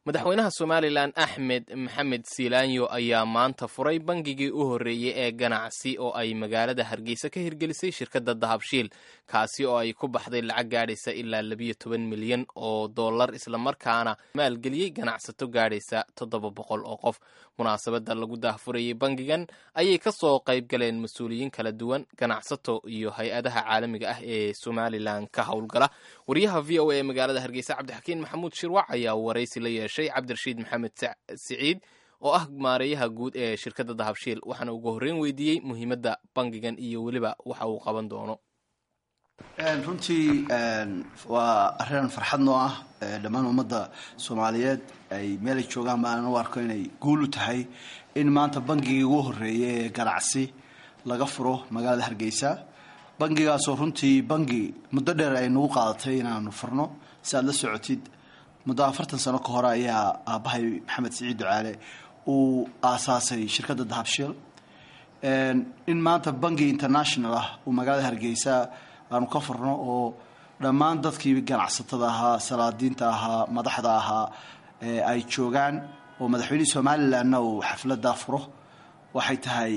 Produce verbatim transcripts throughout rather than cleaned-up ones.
Madaxweynaha Somalilan Axmed Maxamed Siilaanyo ayaa maanta furay bangigii u horreeyey ee ganacsi oo ay magaalada Hargeysa ka hirgelisay shirkadda Dahabshiil, kaasi oo ay ku baxday lacag gaadhaysa ilaa labiyo toban milyan oo dollar, islamarkaana maalgeliyey ganacsato gaadhaysa toddoba boqol oo qof. Munaasabadda lagu daahfurayey bangigan ayay ka soo qayb galeen mas-uuliyiin kala duwan, ganacsato iyo hay-adaha caalamiga ah ee Somalilan ka howlgala. Wariyaha V O A ee magaalada Hargeysa, Cabdixakiin Maxamuud Shirwac, ayaa waraysi la yeeshay Cabdirashiid Maxamed Siciid oo ah maareeyaha guud ee shirkadda Dahabshiil, waxaana ugu horreyn weydiiyey muhiimadda bangigan iyo weliba waxa uu qaban doono. Runtii waa arrin farxad noo ah. Dhammaan ummadda Soomaaliyeed ay meelay joogaan baan u arko inay guul u tahay in maanta bangigii ugu horreeyay ee ganacsi laga furo magaalada Hargeysa, bangigaasoo runtii bangi muddo dheer ay nagu qaadatay inaanu furno. Si aad la socotid, muddo afartan sano ka hore ayaa aabbahay Maxamed Siciid Ducaale uu aasaasay shirkadda Dahabshiil. In maanta bangi international ah uu magaalada Hargeysa aanu ka furno oo dhammaan dadkii ganacsatada ahaa, salaadiinta ahaa, madaxda ahaa ay joogaan oo madaxweynihii Somalilandna uu xafladdaa furo, waxay tahay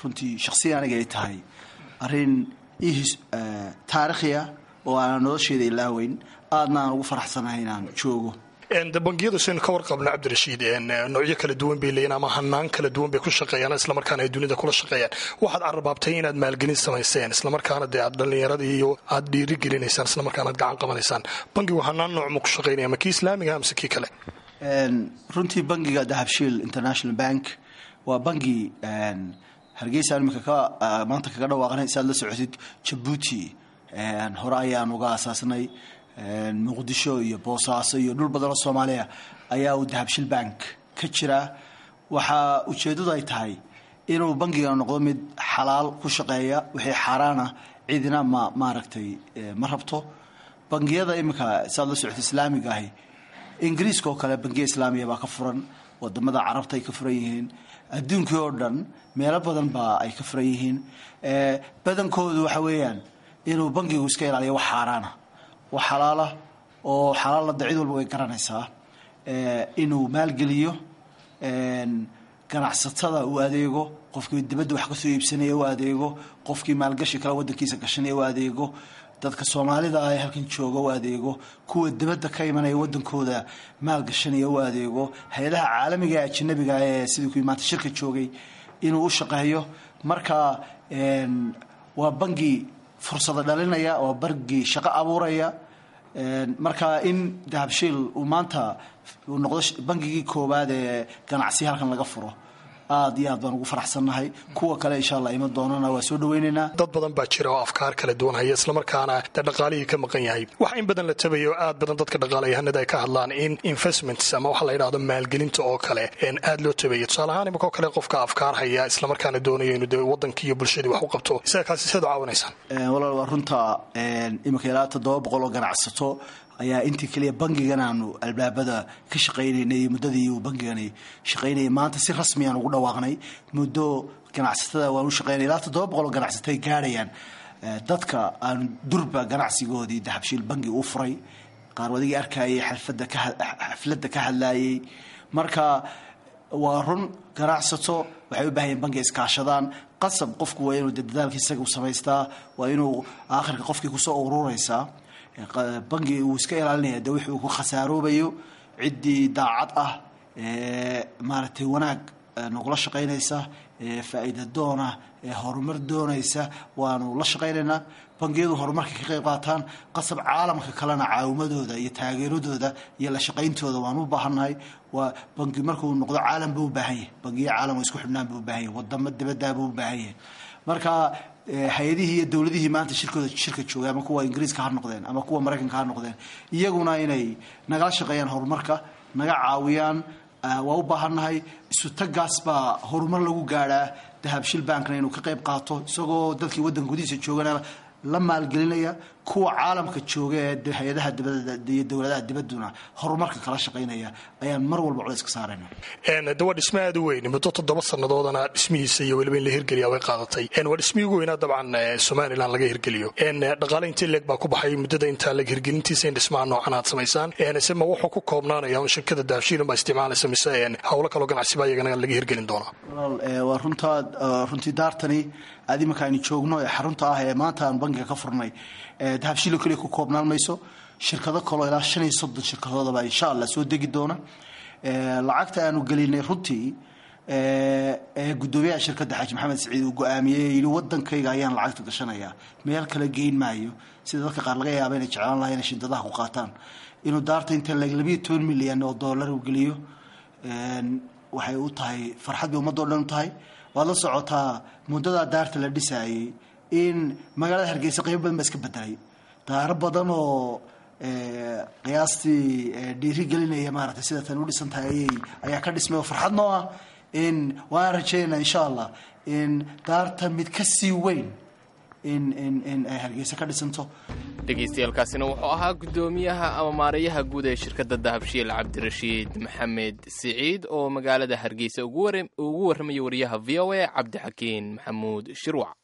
runtii shaksiyan aniga ay tahay arrin taariikhiya oo aanan nolosheeda ilaaweyn, aadna aan ugu faraxsanahay inaan joogo. De bangiyadu, saynu ka warqabno, Cabdirashiid, noocyo kala duwan bay leeyiin ama hanaan kala duwan bay ku shaqeeyaan, islamarkaana ay dunida kula shaqeeyaan. Waxaad carrabaabtay inaad maalgelin samayseen, islamarkaana dee aad dhallinyaradii iyo aad dhiiri gelinaysaan, islamarkaana aad gacan qabanaysaan. Bangigu hanaan nooc ma ku shaqeynaya, ma kii islaamiga amse kii kale? Runtii bangiga Dahabshiil International Bank waa bangi Hargeysa imika ka maanta kaga dhawaaqnay. Si aad la socotid, Jabuuti hore ayaan uga aasaasnay, Muqdisho iyo Boosaaso iyo dhul badan oo Soomaaliya ayaa uu Dahabshiil Bank ka jiraa. Waxaa ujeeddadu ay tahay inuu bangiga noqdo mid xalaal ku shaqeeya. Wixii xaaraana cidina ma maaragtay ma rabto. Bangiyada iminka, saad la socota, islaamiga ahi, Ingiriiska oo kale bangiya islaamiya baa ka furan, wadamada Carabta ay ka furan yihiin, adduunkii oo dhan meelo badan baa ay ka furan yihiin. Badankoodu waxa weeyaan inuu bangigu iska ilaaliyo wax xaaraana, wax xalaala oo xalaalada cid walba way garanaysaa, inuu maalgeliyo ganacsatada, uu adeego qofkii dibadda wax kasoo iibsanaya, u adeego qofkii maalgashi kale wadankiisa gashanaya, u adeego dadka Soomaalida ah ee halkan jooga, u adeego kuwa dibadda ka imanaya wadankooda maalgashanaya, u adeego hay-adaha caalamiga ee ajanabiga ee sidii kuwii maanta shirka joogay inuu u shaqeeyo. Marka waa bangi fursado dhalinaya, waa bangi shaqo abuuraya. Marka in Dahabshiil uu maanta uu noqdo bangigii koowaad ee ganacsi halkan laga furo, aad iyo aad baan ugu faraxsannahay. Kuwa kale insha Allah ima doonana waa soo dhaweynaynaa. Dad badan baa jira oo afkaar kala duwan haya, islamarkaana dee dhaqaalihii ka maqan yahay. Waxa in badan la tabayo, aad badan dadka dhaqaalayahanada ay ka hadlaan in investments ama waxa la yidhahdo maalgelinta oo kale aad loo tabayo. Tusaale ahaan, imika oo kale qofka afkaar haya, islamarkaana doonayo inuu dee wadankii iyo bulshadii wax u qabto, isaga kaasi sidaad u caawinaysaan? Walaal, waa runta. Imika ilaa toddoba boqol oo ganacsato ayaa intii keliya bangigan aanu albaabada ka shaqaynaynay, muddadii uu bangigani shaqaynayay, maanta si rasmiyaan ugu dhawaaqnay, muddo ganacsatada waan u shaqaynay. Ilaa toddoba boqol oo ganacsato ay gaadhayaan dadka aanu durba ganacsigoodii Dahabshiil bangi u furay. Qaar wadigii arkayay xalfadda ka xafladda ka hadlaayay. Marka waa run, ganacsato waxay u baahan yihin bangi iskaashadaan. Qasab qofku waa inuu dadaalka isaga u samaystaa, waa inuu aakhirka qofkii kusoo ururaysaa. Bangi uu iska ilaalinaya de wixii uu ku khasaaroobayo. Ciddii daacad ah, maaragtay, wanaag nagula shaqaynaysa, faa'iida doona, horumar doonaysa, waanu la shaqaynaynaa. Bangiyadu horumarka ka qayb qaataan qasab, caalamka kalena caawimadooda iyo taageeradooda iyo la shaqayntooda waanu u baahannahay. Waa bangi markuu noqdo caalam buu u baahan yahay, bangiyo caalam oo isku xidhnaan buu u baahan yahay, wadamo dibaddaa buu u baahan yahay. Marka hay-adihii iyo dowladihii maanta shirkooda shirka joogay, ama kuwa Ingiriiska ha noqdeen ama kuwa Maraykanka ha noqdeen, iyaguna inay nagala shaqeeyaan horumarka, naga caawiyaan waa u baahannahay. Isu tagaas baa horumar lagu gaadhaa. Dahabshiil Bankna inuu ka qayb qaato, isagoo dadkii waddanka gudihiisa joogana la maalgelinaya, Kuwa caalamka jooga ee hay-adaha dibadda iyo dowladaha dibadduna horumarka kala shaqaynaya ayaan mar walba culays ka saarayna. De waa dhisme aad u weyn, muddo toddoba sannadoodana dhismihiisa iyo weliba in la hirgeliya way qaadatay. Waa dhismihii ugu weynaa dabcan Somalilan laga hirgeliyo. Dhaqaale intee leeg baa ku baxay muddada intaa leeg hirgelintiisa in dhismaha noocan aad samaysaan? Se ma wuxuu ku koobnaanaya un shirkada Dahabshiilun baa isticmaalaysa, mise howlo kaloo ganacsi baa iyagana laga hirgelin doonaa? Walaal, waa runtaa. Runtii daartani aad iminka aynu joogno ee xarunta ah ee maanta aan bangiga ka furnay, Dahabshiilo keliya ku koobnaan mayso. Shirkado kaloo ilaa shan iyo soddon shirkadoodaba insha Allah soo degi doona. Lacagta aanu gelinay runtii ee guddoomiyaha shirkadda Xaaji Maxamed Siciid uu go-aamiyey, yidhi wadankayga ayaan lacagta gashanayaa, meel kale geyn maayo, sida dadka qaar laga yaaba inay jeclaan lahay inay shindadaha ku qaataan, inuu daarta inta leeg labiyo toban milyan oo dollar uu geliyo, waxay u tahay farxad bay ummaddo dhan u tahay. Waad la socotaa muddadaa daarta la dhisaayey in magaalada Hargeysa qaybo badan baa iska bedelay, daaro badan oo qiyaastii dhiiri gelinaya maaragtay sida tan u dhisan tahay ayay ayaa ka dhismay oo farxad noo ah. In waan rajaynaa insha Allah in daarta mid ka sii weyn in in in ay Hargeysa ka dhisanto. Dhegaystayaaalkaasina wuxuu ahaa guddoomiyaha ama maareeyaha guud ee shirkadda Dahabshiil, Cabdirashiid Maxamed Siciid, oo magaalada Hargeysa ugu warramaya wariyaha V O A Cabdixakiin Maxamuud Shirwac.